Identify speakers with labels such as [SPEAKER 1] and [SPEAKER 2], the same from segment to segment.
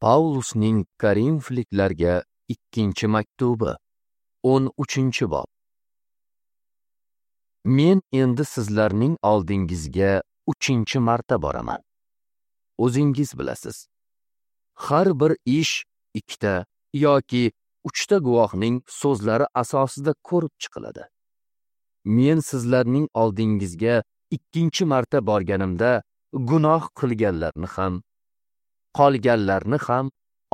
[SPEAKER 1] Paulusning Korinfliklarga ikkinchi maktubi, 13-bob. Men endi sizlarning oldingizga 3-marta boraman. O'zingiz bilasiz. Har bir ish ikkita yoki uchta guvohning so'zlari asosida ko'rib chiqiladi. Men sizlarning oldingizga 2-marta borganimda gunoh qilganlarni ham, qolganlarni ham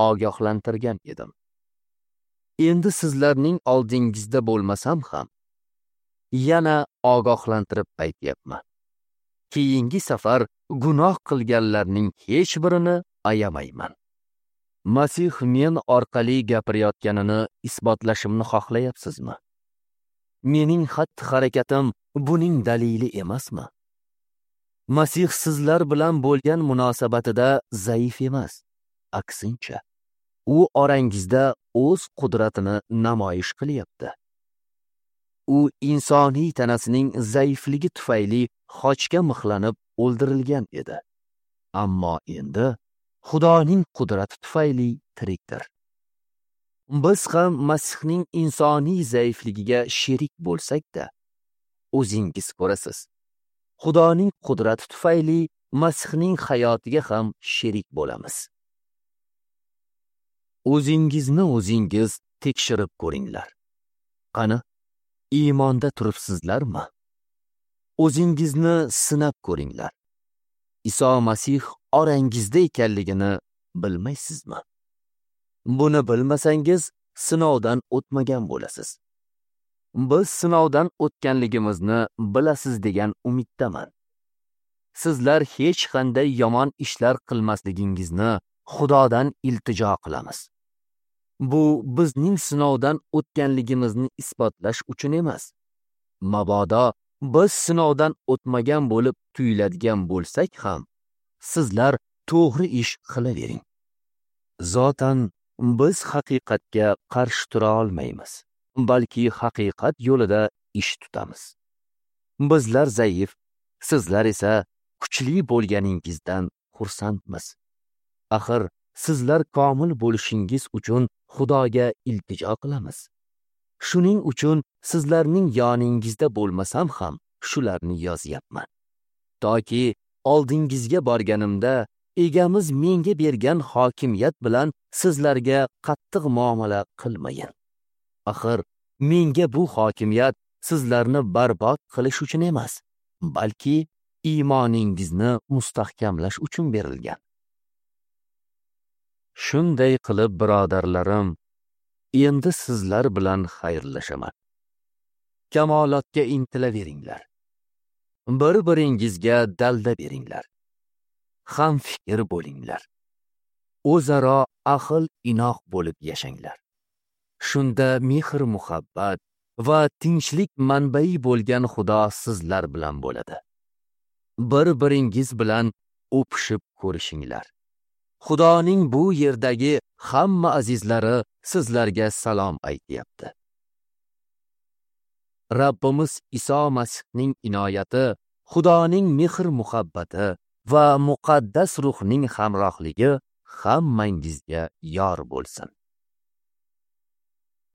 [SPEAKER 1] ogohlantirgan edim. Endi sizlarning oldingizda bo'lmasam ham yana ogohlantirib aytyapman. Keyingi safar gunoh qilganlarning hech birini ayamayman. Masih men orqali gapirayotganini isbotlashimni xohlayapsizmi? Mening xatti-harakatim buning dalili emasmi? Masih sizlar bilan bo'lgan munosabatida zaif emas, aksincha, u orangizda o'z qudratini namoyish qilyapti. U insoniy tanasining zaifligi tufayli xochga mixlanib o'ldirilgan edi. Ammo endi Xudoning qudrati tufayli tirikdir. Biz ham Masihning insoniy zaifligiga sherik bo'lsak-da, o'zingiz ko'rasiz. Xudoning qudrati tufayli Masihning hayotiga ham sherik bo'lamiz. O'zingizni o'zingiz tekshirib ko'ringlar. Qani, iymonda turibsizlarmi? O'zingizni sinab ko'ringlar. Iso Masih orangizda ekanligini bilmaysizmi? Buni bilmasangiz sinovdan o'tmagan bo'lasiz. Biz sinovdan o'tganligimizni bilasiz degan umiddaman. Sizlar hech qanday yomon ishlar qilmasligingizni Xudodan iltijo qilamiz. Bu bizning sinovdan o'tganligimizni isbotlash uchun emas. Mabodo biz sinovdan o'tmagan bo'lib tuyuladigan bo'lsak ham, sizlar to'g'ri ish qilavering. Zotan biz haqiqatga qarshi tura olmaymiz, balki haqiqat yo'lida ish tutamiz. Bizlar zaif, sizlar esa kuchli bo'lganingizdan xursandmiz. Axir sizlar komil bo'lishingiz uchun Xudoga iltijo qilamiz. Shuning uchun sizlarning yoningizda bo'lmasam ham shularni yozyapman. Toki oldingizga borganimda egamiz menga bergan hokimiyat bilan sizlarga qattiq muomala qilmayin. Axir menga bu hokimiyat sizlarni barbod qilish uchun emas, balki iymoningizni mustahkamlash uchun berilgan. Shunday qilib, birodarlarim, endi sizlar bilan xayrlashaman. Kamolotga intilaveringlar. Bir-biringizga dalda beringlar. Ham fikr bo'linglar. O'zaro aql inoq bo'lib yashanglar. Shunda mehr-muhabbat va tinchlik manbai bo'lgan Xudo sizlar bilan bo'ladi. Bir-biringiz bilan o'pishib ko'rishinglar. Xudoning bu yerdagi hamma azizlari sizlarga salom aytyapti. Rabbimiz Iso Masihning inoyati, Xudoning mehr-muhabbati va muqaddas ruhning hamrohligi hammangizga yor bo'lsin.